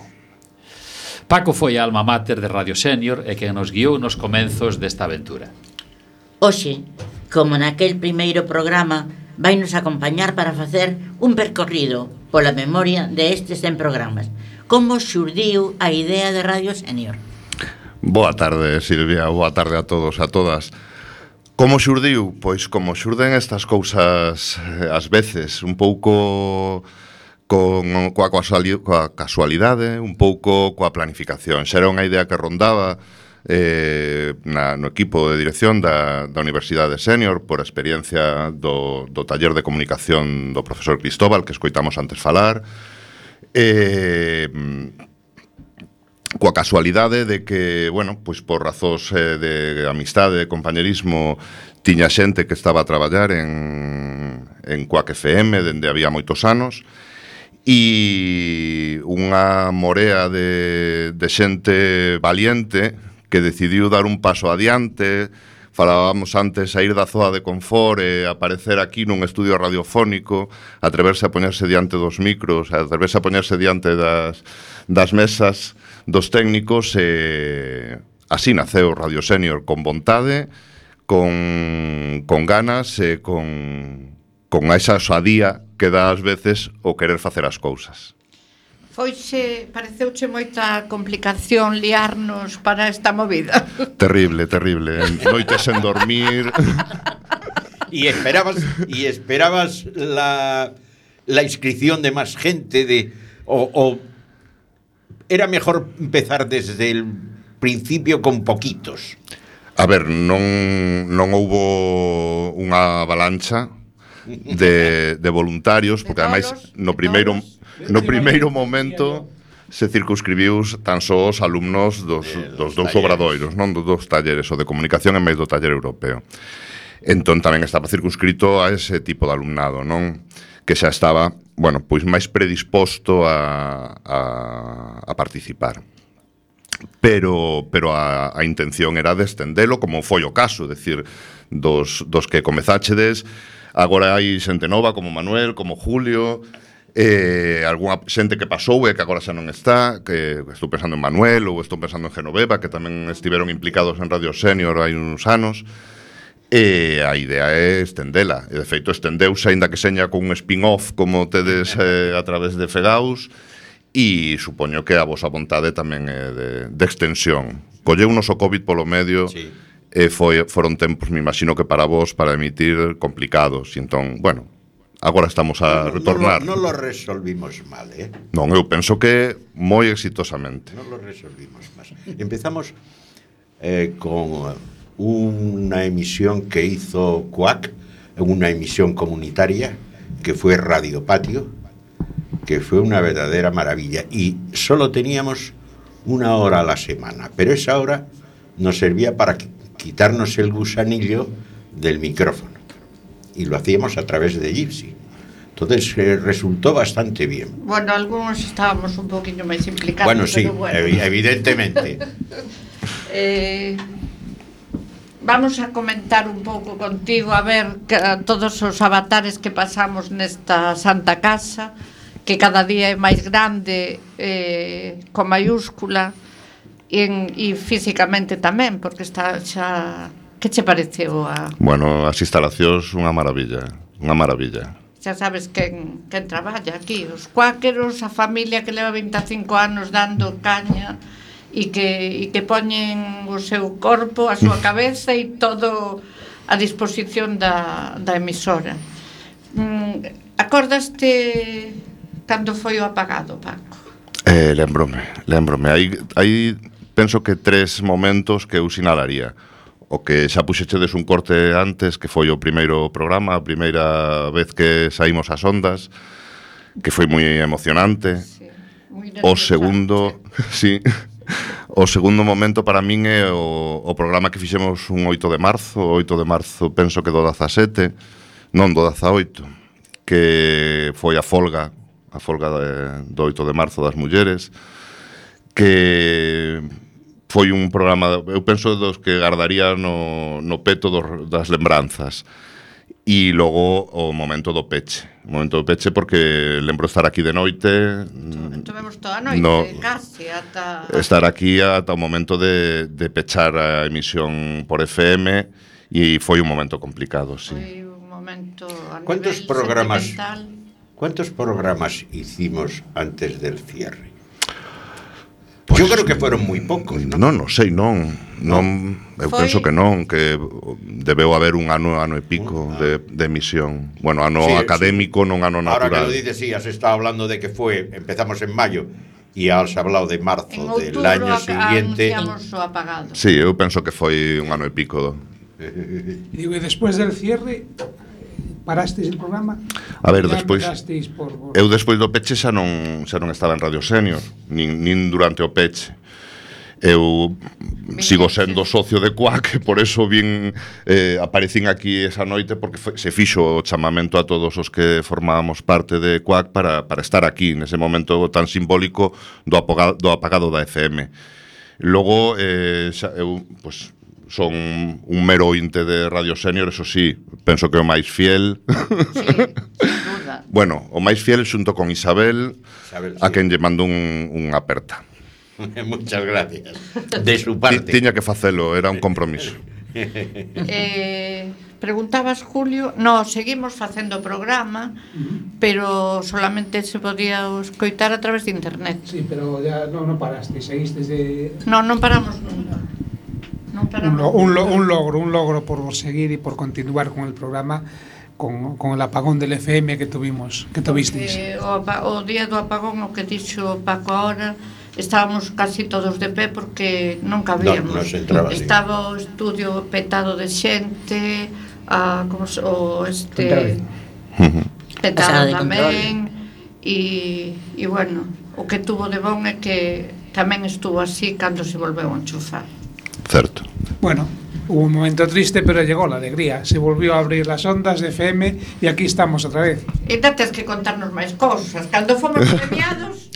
Paco foi a alma mater de Radio Senior e quen nos guiou nos comenzos desta aventura. Hoxe, como naquel primeiro programa, vai nos acompañar para facer un percorrido pola memoria de estes 100 programas. Como xurdiu a idea de Radio Senior? Boa tarde, Silvia, boa tarde a todos, a todas. Como xurdiu? Pois como xurden estas cousas ás veces, un pouco coa casualidade, un pouco coa planificación. Xa era unha idea que rondaba no equipo de dirección da Universidade Senior por a experiencia do taller de comunicación do profesor Cristóbal, que escoitamos antes falar, coa casualidade de que, bueno, pois por razóns de amistade, de compañerismo, tiña xente que estaba a traballar en Quack FM dende había moitos anos, e unha morea de xente valiente que decidiu dar un paso adiante. Falábamos antes a ir da zoa de confort e aparecer aquí nun estudio radiofónico, atreverse a poñerse diante dos micros, atreverse a poñerse diante das mesas dos técnicos, e así naceu Radio Senior, con vontade, con ganas e con esa osadía que dá ás veces o querer facer as cousas. Pareceuche moita complicación liarnos para esta movida. Terrible, terrible. Noites sen dormir. Y esperabas la inscripción de más gente, o era mejor empezar desde el principio con poquitos. A ver, non houbo unha avalancha de voluntarios, porque ademais no primeiro momento se circunscribiu tan só os alumnos dos dous obradoiros, non dos talleres, o de comunicación en máis do taller europeo. Entón tamén estaba circunscrito a ese tipo de alumnado, non? Que xa estaba, bueno, pois máis predisposto a participar. Pero a intención era de estendelo, como foi o caso, decir, dos que comezáchedes. Agora hai xente nova como Manuel, como Julio, algunha xente que pasou e que agora xa non está, que estou pensando en Manuel ou estou pensando en Genoveva, que tamén estiveron implicados en Radio Senior hai uns anos. E a idea é estendela, e de feito estendeuse, aínda que seña con un spin-off como tedes a través de Fegaus, e supoño que a vosa vontade tamén é de extensión. Colleunos o COVID polo medio, sí. E foron tempos, me imagino que para vos, para emitir, complicados, e entón, bueno, agora estamos a retornar. Non lo resolvimos mal, Non, eu penso que moi exitosamente. Non lo resolvimos mal. Empezamos con una emisión que hizo Quack, una emisión comunitaria, que fue Radio Patio, que fue una verdadera maravilla, y solo teníamos 1 hora a la semana, pero esa hora nos servía para quitarnos el gusanillo del micrófono, y lo hacíamos a través de Gypsy. Entonces resultó bastante bien. Bueno, algunos estábamos un poquito máis implicados. Bueno, sí, bueno. Evidentemente. Vamos a comentar un pouco contigo, a ver, todos os avatares que pasamos nesta Santa Casa, que cada día é máis grande, con mayúscula, e físicamente tamén, porque está xa... Que che pareceu a... Bueno, as instalacións unha maravilla, unha maravilla. Xa sabes quen traballa aquí, os cuáqueros, a familia que leva 25 anos dando caña e que poñen o seu corpo, a súa cabeza e todo a disposición da emisora. Acordaste cando foi o apagado, Paco? Lembrome. Hai penso que 3 momentos que eu sinalaría. O que xa puxechedes un corte antes, que foi o primeiro programa, a primeira vez que saímos ás ondas, que foi moi emocionante. Sí, o segundo, sí. O segundo momento para min é o programa que fixemos un 8 de marzo, o 8 de marzo penso que do 17, non do 18, que foi a folga do 8 de marzo das mulleres, que foi un programa, eu penso, dos que gardaría no peto das lembranzas. E logo o momento do peche. O momento do peche porque lembro estar aquí de noite. Estuvemos toda a noite, casi, ata... Estar aquí ata o momento de pechar a emisión por FM e foi un momento complicado, sí. Foi un momento a ¿Cuántos nivel programas hicimos antes del cierre? Pues, yo creo que fueron moi poucos, non? Non sei, non. Eu penso que non, que debeu haber un ano e pico de emisión. Bueno, ano académico, non ano natural. Ahora que lo dices, sí, has estado hablando de que empezamos en mayo e has hablado de marzo del año siguiente. Anunciamos o apagado. Sí, eu penso que foi un ano e pico. Digo, e despois del cierre parastes el programa? A ver, despois eu despois do peche xa non estaba en Radio Senior, nin durante o peche. Eu sigo sendo socio de Cuac, por eso aparecín aquí esa noite, porque se fixo o chamamento a todos os que formábamos parte de Cuac para estar aquí nese momento tan simbólico do apagado da FM. Logo, eu, pues, son un mero ointe de Radio Senior, eso sí, penso que o máis fiel. Sí, sin duda. Bueno, o máis fiel xunto con Isabel, a quen lle mando unha aperta. Muchas gracias. De su parte. Tiña que facelo, era un compromiso. Preguntabas, Julio, seguimos facendo o programa, pero solamente se podía escoitar a través de internet. Sí, pero ya non paraste, seguistes de... Non paramos nunca. Un logro por seguir y por continuar con el programa, con el apagón del FM que tuvisteis. O día do apagón, o que dixo Paco ahora, estábamos casi todos de pé porque non cabíamos. Estaba o estudio petado de xente, petado tamén, e bueno, o que tuvo de bon é que tamén estuvo así cando se volveu a enchufar. Certo. Bueno, hubo un momento triste, pero llegó la alegría. Se volvió a abrir las ondas de FM y aquí estamos otra vez. E tens que contarnos máis cousas. Cando fomos premiados...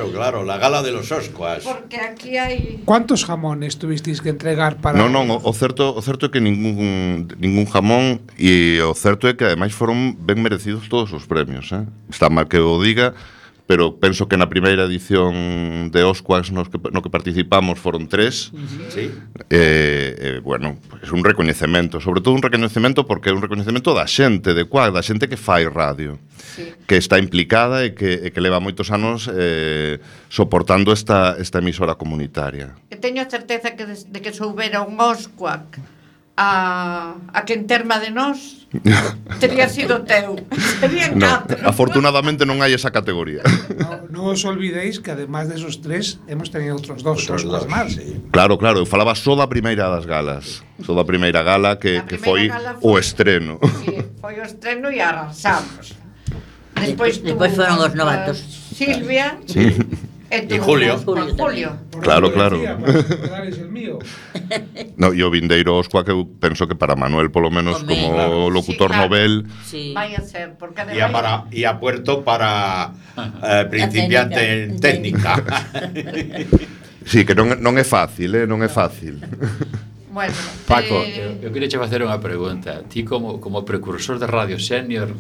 Claro, la gala de los Oscars. Porque aquí hai... ¿Cuántos jamones tuvisteis que entregar para...? Non, o certo é que ningún jamón, e o certo é que ademais foron ben merecidos todos os premios, Está mal que o diga, pero penso que na primeira edición de Oscars no que participamos foron 3. Sí. Bueno, é un recoñecemento, sobre todo un recoñecemento porque é un recoñecemento da xente de Cuac, da xente que fai radio, que está implicada e que leva moitos anos soportando esta emisora comunitaria. E teño a certeza de que soubera un Oscuac a que en terma de nós teria sido teu. Serían 4. Afortunadamente non hai esa categoría. No os olvidéis que además de esos 3 hemos tenido outros 2 Oscars máis. Claro, eu falaba só da primeira das galas. Só da primeira gala que foi o estreno. Sí, foi o estreno e arrasamos. Despois foron os novatos. Silvia. Sí. E Julio. Claro. El mío. No, e o vindeiro Oscua que eu penso que para Manuel polo menos como locutor novel. Vai a ser, porque e a Puerto para principiante en técnica. Sí, que non é fácil, non é fácil. Bueno, Paco, eu queria che facer unha pregunta. Ti como precursor de Radio Senior,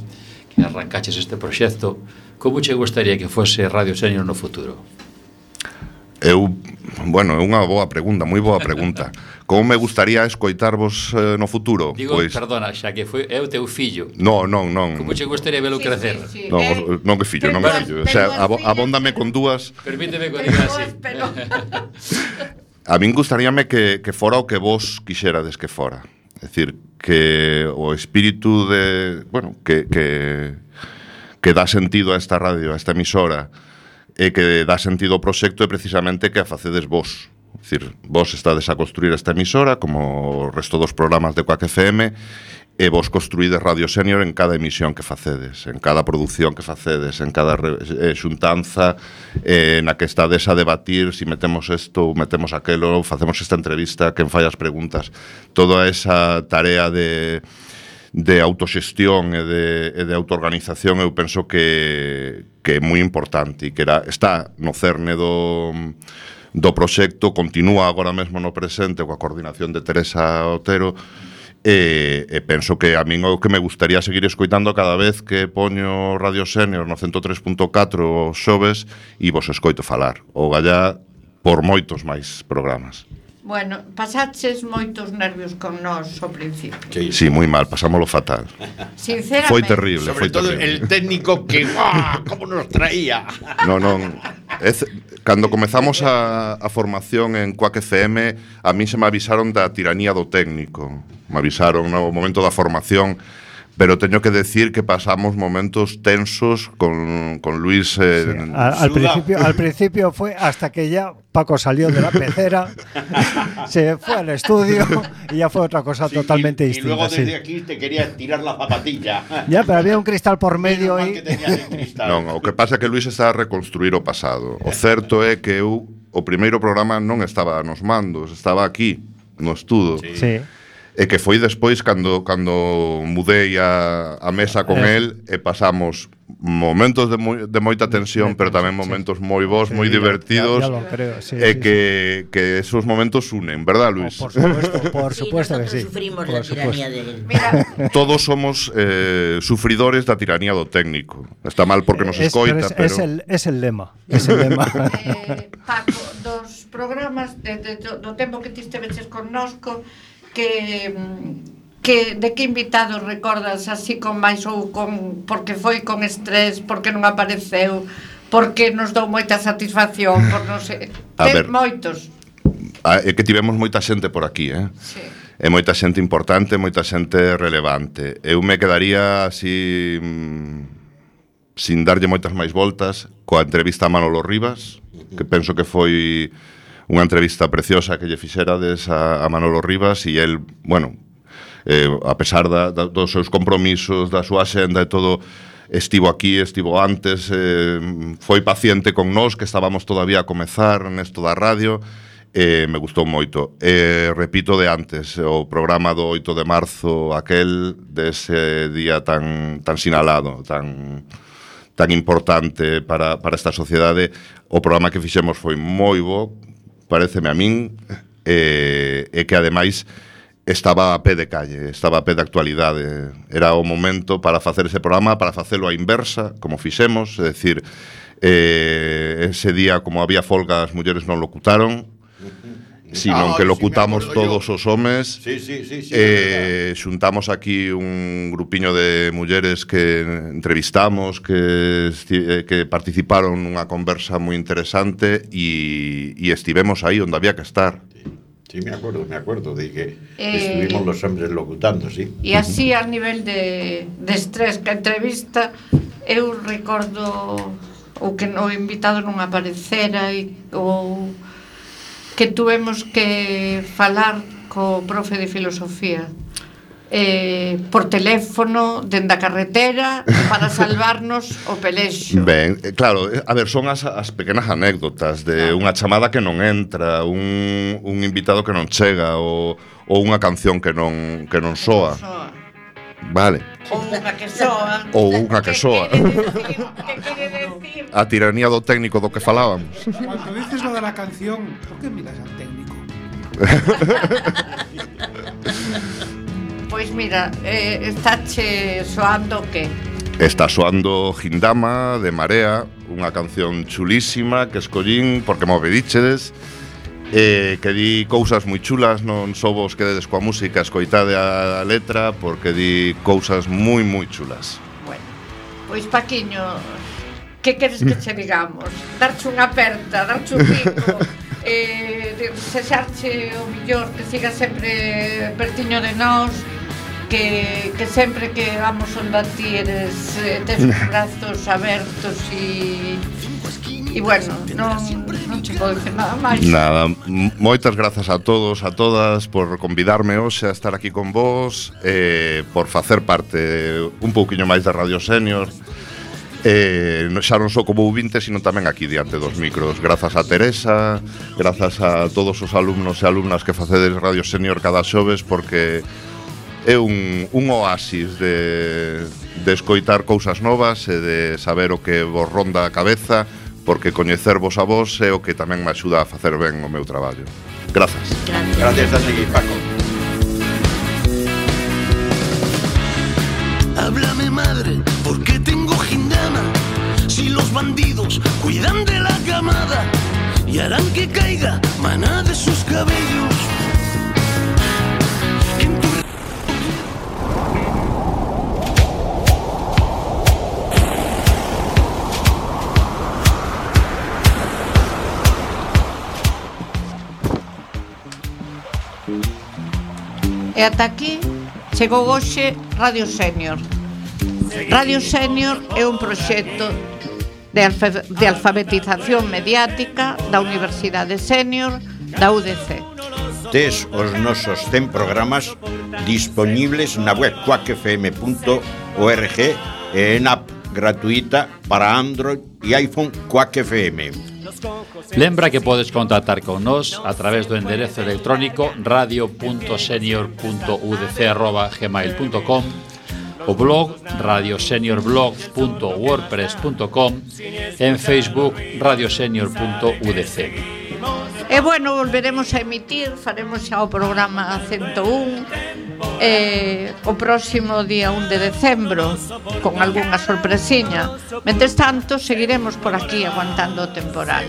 que arrancaches este proxecto, como che gustaría que fose Radio Senior no futuro? Bueno, é unha boa pregunta, moi boa pregunta. Como me gustaría escoitarvos no futuro? Digo, perdona, xa que foi o teu fillo. Non. Como che gustaría velo crecer? Non que fillo, non que fillo. O sea, abóndame con dúas. Permíteme que diga así. A min gustaríame que fora o que vos quixerades que fora. É dicir, que o espírito de, bueno, que dá sentido a esta radio, a esta emisora, e que dá sentido ao proxecto é precisamente que a facedes vos. É dicir, vos estades a construir esta emisora como o resto dos programas de Quack FM e vos construídes Radio Senior en cada emisión que facedes, en cada produción que facedes, en cada xuntanza na que estades a debatir si metemos isto ou metemos aquelo, facemos esta entrevista, quen fai as preguntas. Toda esa tarea de autoxestión e de autoorganización eu penso que é moi importante e que está no cerne do proxecto, continúa agora mesmo no presente coa coordinación de Teresa Otero e penso que a min o que me gustaría seguir escoitando cada vez que poño Radio Senior no 103.4 os xoves e vos escoito falar ou gallá por moitos máis programas. Bueno, pasaches moitos nervios con nós ao principio. Sí, moi mal, pasámoslo fatal. Sinceramente. Foi terrible, sobre todo el técnico que como nos traía. Non. Cando comezamos a formación en Quack FM, a mí se me avisaron da tiranía do técnico. Me avisaron no momento da formación, pero teño que decir que pasamos momentos tensos con Luis. Al principio fue hasta que ya Paco salió de la pecera, se fue al estudio y ya fue otra cosa totalmente distinta. Y luego desde aquí te quería tirar la zapatilla. Ya, pero había un cristal por medio y... Non, o que pasa é que Luis está a reconstruir o pasado. O certo é que eu, o primeiro programa non estaba nos mandos, estaba aquí, no estudo. Sí. E que foi despois cando mudei a mesa con el e pasamos momentos de moita tensión, pero tamén momentos moi bons, moi divertidos. Ya lo creo, sí, e que esos momentos unen, verdad, Luis? Por supuesto que sí. Sufrimos la tiranía de él. Todos somos sufridores da tiranía do técnico. Está mal porque nos escoita, pero es el lema. Es el lema. Paco, dos programas do tempo que ti esteveches connosco, que de que invitados recordas así con máis ou con porque foi con estrés, porque non apareceu, porque nos dou moita satisfacción, por non sei, moitos. É que tivemos moita xente por aquí, Sí. E moita xente importante, moita xente relevante. Eu me quedaría así sin darlle moitas máis voltas coa entrevista a Manolo Rivas, que penso que foi unha entrevista preciosa que lle fixerades a Manolo Rivas e el, bueno, a pesar dos seus compromisos, da súa xenda e todo, estivo aquí, estivo antes, foi paciente con nós que estábamos todavía a comezar nesto da radio, me gustou moito. Repito de antes, o programa do 8 de marzo, aquel dese día tan sinalado, tan importante para esta sociedade, o programa que fixemos foi moi bo, pareceme a min, e que ademais estaba a pé de calle, estaba a pé de actualidade. Era o momento para facer ese programa, para facelo a inversa, como fixemos, é dicir, ese día, como había folga, as mulleres non locutaron, sino que locutamos todos os homes. Sí, xuntamos aquí un grupiño de mulleres que entrevistamos, que participaron nunha conversa moi interesante e estivemos aí onde había que estar. Sí, me acuerdo de que estuvimos los hombres locutando, sí. E así a nivel de estrés que a entrevista, eu recordo o que o invitado non aparecera ou que tuvemos que falar co profe de filosofía por teléfono dende a carretera para salvarnos o pelexo. Ben, claro, a ver, son as pequenas anécdotas de unha chamada que non entra, un invitado que non chega ou unha canción que non soa. Vale. Ou unha que soa. Que quere decir? A tiranía do técnico do que falábamos. Cuando dices lo de la canción, ¿por qué miras al técnico? Pois mira, estáche soando que Está soando Gindama de Marea, unha canción chulísima que escollín porque me obedichedes, que di cousas moi chulas, non só vos quededes coa música, escoitade a letra, porque di cousas moi chulas. Bueno, pois Paquiño, que queres que che digamos? Darche unha aperta, darche un pico, desexarche o millor, que siga sempre pertiño de nós, que sempre que vamos onde a ti eres, tes os brazos abertos e bueno, non che podo dicir nada máis. Nada, moitas grazas a todos, a todas por convidarme hoxe a estar aquí con vos, por facer parte un pouquiño máis da Radio Senior, xa non só como ouvinte, sino tamén aquí diante dos micros. Grazas a Teresa, grazas a todos os alumnos e alumnas que facedes Radio Senior cada xoves, porque é un oasis de escoitar cousas novas e de saber o que vos ronda a cabeza, porque coñecervos a vos é o que tamén me axuda a facer ben o meu traballo. Grazas. Gracias a ti, Paco. Háblame, madre, ¿por qué tengo Gindama? Si los bandidos cuidan de la camada y harán que caiga maná de sus cabellos. E ata aquí chegou hoxe Radio Senior. Radio Senior é un proxecto de alfabetización mediática da Universidade Senior da UDC. Tes os nosos 100 programas dispoñibles na web quackfm.org e en app gratuita para Android e iPhone Quack FM. Lembra que podes contactar con nós a través do enderezo electrónico radio.senior.udc@gmail.com, o blog radioseniorblog.wordpress.com, en Facebook radiosenior.udc. E bueno, volveremos a emitir, faremos xa o programa 101 o próximo día 1 de decembro con algunha sorpresiña. Mentres tanto, seguiremos por aquí aguantando o temporal.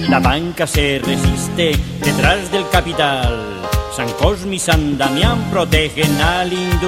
La banca se resiste detrás del capital. San Cosme y San Damián protegen al industria.